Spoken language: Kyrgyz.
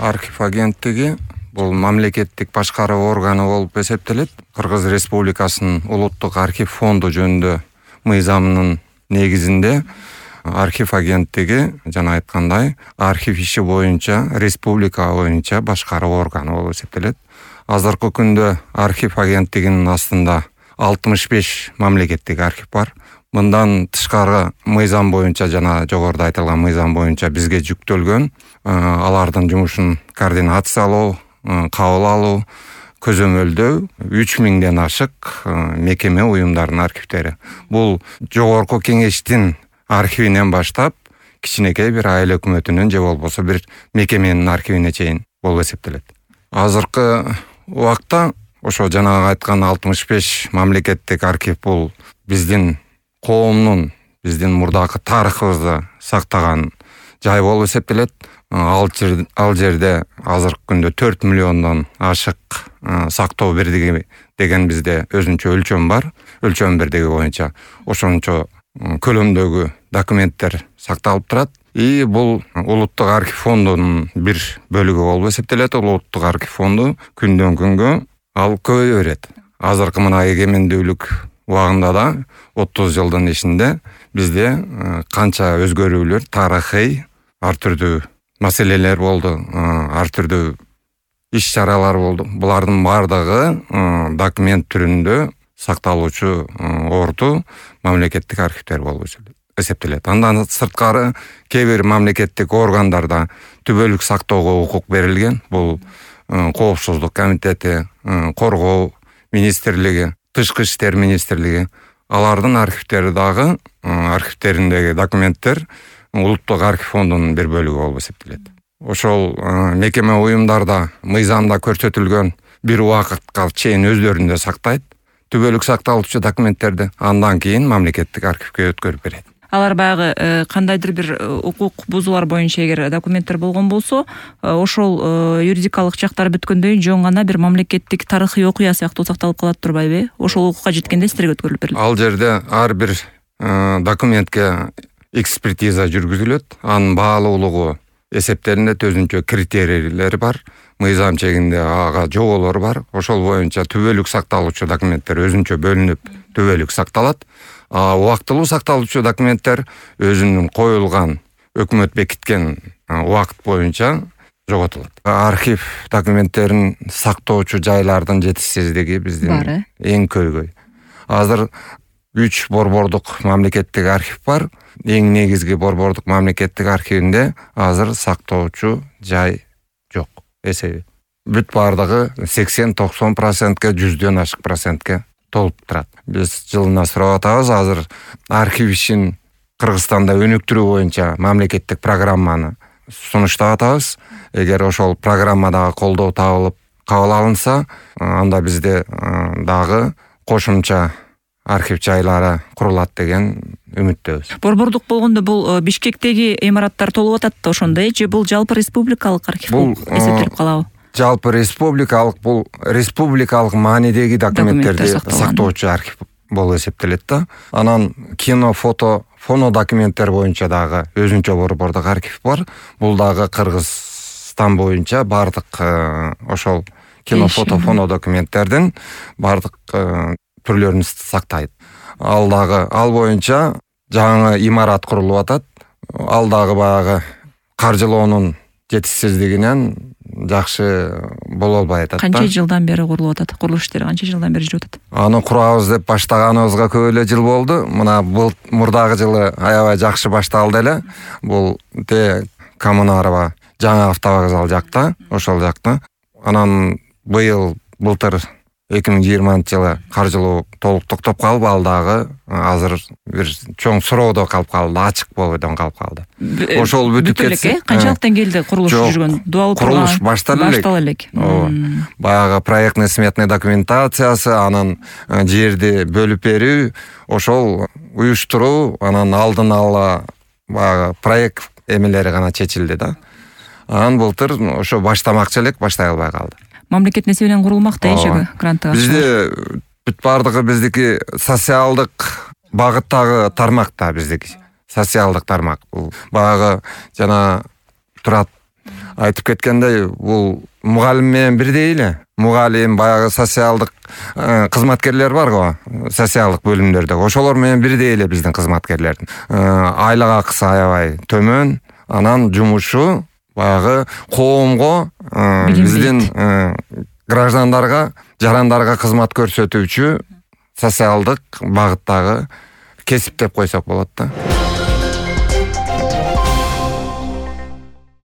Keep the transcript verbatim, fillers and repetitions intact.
Архив агенттиги бул мамлекеттик башкаруу органы болуп эсептелет. Кыргыз Республикасынын улуттук архив фонду жөнүндө мыйзамынын негизинде архив агенттиги жана айткандай архив иши боюнча республика боюнча башкаруу органы болуп эсептелет. Азыркы күндө архив агенттигинин астында алтымыш беш мамлекеттик архив бар. Мындан тышкары мыйзам боюнча жана жогоруда айтылган мыйзам боюнча бизге жүктөлгөн алардын жумушун координациялоо, кабыл алуу, көзөмөлдөө үч миңден ашык мекеме уюмдардын архивдери. Бул жогорку кеңештин архивинен баштап кичинекей бир айыл өкмөтүнүн же болбосо бир мекеменин архивине чейин болуп эсептелет. Азыркы убакта ошо жанагы айткан алтымыш беш мамлекеттик архив бул биздин коомдун, биздин мурдакы тарыхыбызды сактаган жай болуп эсептелет. Ал жерде, ал жерде азыркы күндө төрт миллиондон ашык сактоо бирдиги деген бизде өзүнчө өлчөм бар. Өлчөм бирдиги боюнча ошончо көлөмдөгү документтер сакталып турат. И бул улуттук архив фондунун бир бөлүгү болуп эсептелет. Улуттук архив фонду күндөн күнгө ал көбөйө берет. Азыркы мына эгемендүүлүк убагында да отуз жылдын ичинде бизде канча өзгөрүүлөр, тарыхый ар түрдүү маселелер болду, ар түрдүү иш-чаралар болду. Булардын бардыгы документ түрүндө сакталуучу орду мамлекеттик архивдер болуп эсептелет. Андан сырткары кээ бир мамлекеттик органдарда түбөлүк сактоого укук берилген. Бул коопсуздук комитети, коргоо министрлиги, тышкы иштер министрлиги. Алардын архивдери дагы архивдериндеги документтер улуттук архив фондунун бир бөлүгү болуп эсептелет. Ошол мекеме уюмдарда мыйзамда көрсөтүлгөн бир убакытка чейин өздөрүндө сактайт түбөлүк сакталуучу документтерди, андан кийин мамлекеттик архивге өткөрүп берет. Алар баягы кандайдыр бир укук бузуулар боюнча эгер документтер болгон болсо, ошол юридикалык жактары бүткөндөн жөн гана бир мамлекеттик тарыхый окуя сыяктуу сакталып калат турбайбы? Ошол укукка жеткенде силерге өткөрүлүп берилет. Ал жерде ар бир документке экспертиза жүргүзүлөт. Анын баалуулугу эсептелинет, өзүнчө критерийлери бар. Мыйзам чегинде ага жоболор бар. Ошол боюнча түбөлүк сакталуучу документтер өзүнчө бөлүнүп түбөлүк сакталат. А убактылуу сакталуучу документтер өзүнүн коюлган, өкмөт бекиткен убакыт боюнча жоготулат. Архив документтерин сактоочу жайлардын жетишсиздиги биздин эң көйгөй. Азыр үч борбордук мамлекеттик архив бар. Эң негизги борбордук мамлекеттик архивинде азыр сактоочу жай жок эсеби. Бүт бардыгы сексен-токсон процентке, жүздөн ашык процентке толуп турат. Биз жылына сурап атабыз, азыр архив ишин Кыргызстанда өнүктүрүү боюнча мамлекеттик программаны сунуштап атабыз. Эгер ошол программадагы колдоо табылып кабыл алынса, анда бизде дагы кошумча архив жайлары курулат деген үмүттөбүз. Борбордук болгондо бул Бишкектеги имараттар толуп атат да ошондой, же бул жалпы республикалык архив болуп эсептелип калабы? Жалпы республикалык, бул республикалык маанидеги документтерди сактоочу архив болуп эсептелет да. Анан кино, фото, фоно документтер боюнча дагы өзүнчө борбордук архив бар. Бул дагы Кыргызстан боюнча бардык ошол кино, фото, фоно документтердин бардык түрлөрүн сактайт. Ал дагы ал боюнча жаңы имарат курулуп атат. Ал дагы баягы каржылоонун жетишсиздигинен жакшы боло албай атат. Канча жылдан бери курулуп атат? Курулуш иштери канча жылдан бери жүрүп атат? Аны курабыз деп баштаганыбызга көп эле жыл болду. Мына бул мурдагы жылы аябай жакшы башталды эле. Бул те Коммунарова жаңы автовокзал жакта, ошол жакта. Анан быйыл былтыр эки миң жыйырманчы жылы каржылоо толук токтоп калып, ал дагы азыр бир чоң суроодо калып калды, ачык бойдон калып калды. Ошол бүтүп кетсе, канчалыктан келди курулуш жүргөн? Дуалып курулуш башталып элек. Баягы проектный сметный документациясы, анан жерди бөлүп берүү, ошол уюштуруу, анан алдын ала баягы проект эмелери гана чечилди да. Анан былтыр ошо баштамакчы элек, баштай албай калды. Мамлекет несие менен курулмак да ишеги грантыга. Бизде бүт бардыгы биздики социалдык багыттагы тармак да биздики. Социалдык тармак. Бул баягы жана турат айтып кеткендей, бул мугалим менен бирдей эле. Мугалим, баягы социалдык кызматкерлер барго, социалдык бөлүмдөрдө. Ошолор менен бирдей эле биздин кызматкерлердин. Айлык акысы аябай төмөн, анан жумушу баягы коомго, биздин граждандарга, жарандарга кызмат көрсөтүүчү социалдык багыттагы кесип деп койсок болот да.